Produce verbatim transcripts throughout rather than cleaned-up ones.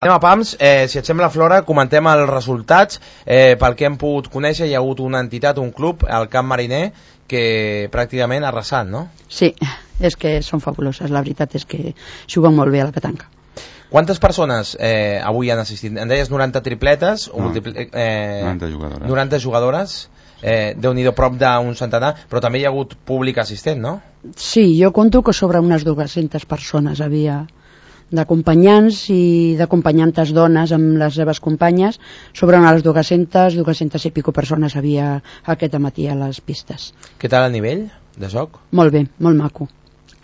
Anem a pams, eh, si et sembla, Flora, comentem els resultats. Eh, pel que hem pogut conèixer, hi ha hagut una entitat, un club, el Camp Mariner, que pràcticament ha arrasat, no? Sí, és que són fabuloses. La veritat és que juguen molt bé a la petanca. Quantes persones eh, avui han assistit? Em deies noranta tripletes, o no, multipli... eh, noranta jugadores. noranta jugadores, eh, Déu-n'hi-do, prop d'un centenar, però també hi ha hagut públic assistent, no? Sí, jo conto que sobre unes dues-centes persones havia d'acompanyants i d'acompanyantes dones amb les seves companyes. Sobre unes dues-centes, dues-centes i pico persones havia aquest matí a les pistes. Què tal el nivell de joc? Molt bé, molt maco.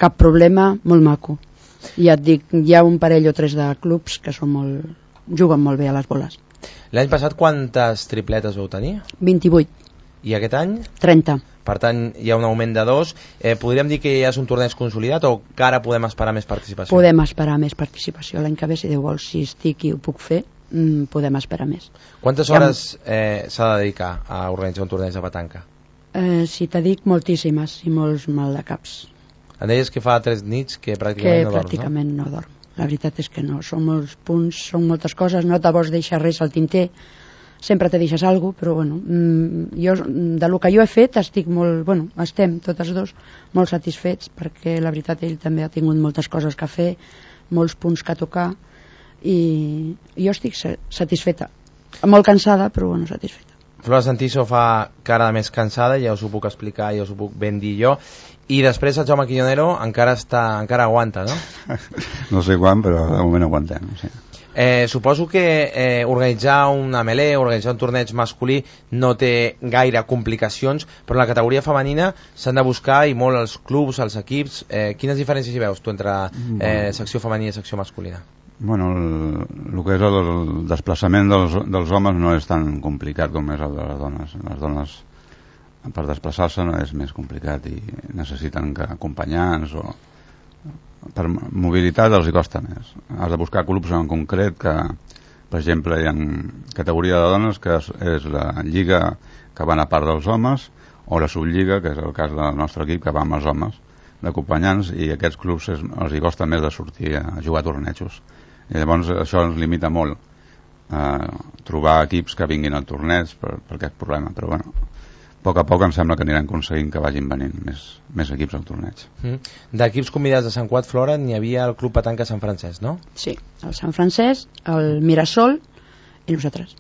Cap problema, molt maco. Ja et dic, hi ha un parell o tres de clubs que són molt... juguen molt bé a les boles. L'any passat quantes tripletes vau tenir? vint-i-vuit. I aquest any? trenta. Per tant, hi ha un augment de dos. Eh, podríem dir que ja és un torneig consolidat o encara podem esperar més participació? Podem esperar més participació. L'any que ve, si Déu vol, si estic i ho puc fer, mm, podem esperar més. Quantes hores eh, s'ha de dedicar a organitzar un torneig de petanca? Eh, si t'he dic, moltíssimes i molts maldecaps. Em deies que fa tres nits que pràcticament que no dorms, pràcticament no? no dorm. La veritat és que no. Són molts punts, són moltes coses, no te vols deixar res al tinter. Sempre te deixes alguna cosa, però bueno, jo, de lo que jo he fet estic molt, bueno, estem totes dos molt satisfets, perquè la veritat ell també ha tingut moltes coses que fer, molts punts que tocar, i jo estic satisfeta, molt cansada, però bueno, satisfeta. Flora Santiso fa cara més cansada, ja us ho puc explicar, ja us ho puc ben dir jo, i després el Jaume Quiñonero encara està, encara aguanta, no? No sé quan, però de moment aguantem, sí. Eh, suposo que eh, organitzar una melé, organitzar un torneig masculí no té gaire complicacions, però en la categoria femenina s'han de buscar, i molt els clubs, els equips. Eh, quines diferències hi veus tu entre eh, secció femenina i secció masculina? Bueno, el, el que és el, el desplaçament dels, dels homes no és tan complicat com és el de les dones. Les dones, per desplaçar-se, no és més complicat i necessiten que acompanyants o... per mobilitat els hi costa més. Has de buscar clubs en concret que, per exemple, hi ha categoria de dones que és, és la lliga que van a part dels homes, o la sublliga, que és el cas del nostre equip, que va amb els homes d'acompanyants, i aquests clubs és, els hi costa més de sortir a jugar a tornejos. I llavors això ens limita molt a trobar equips que vinguin al torneig per, per aquest problema, però bueno, a poc a poc em sembla que aniran aconseguint que vagin venint més, més equips al torneig. Mm. D'equips convidats de Sant Cugat, Flora, n'hi havia el Club Petanca Sant Francesc, no? Sí, el Sant Francesc, el Mirasol i nosaltres.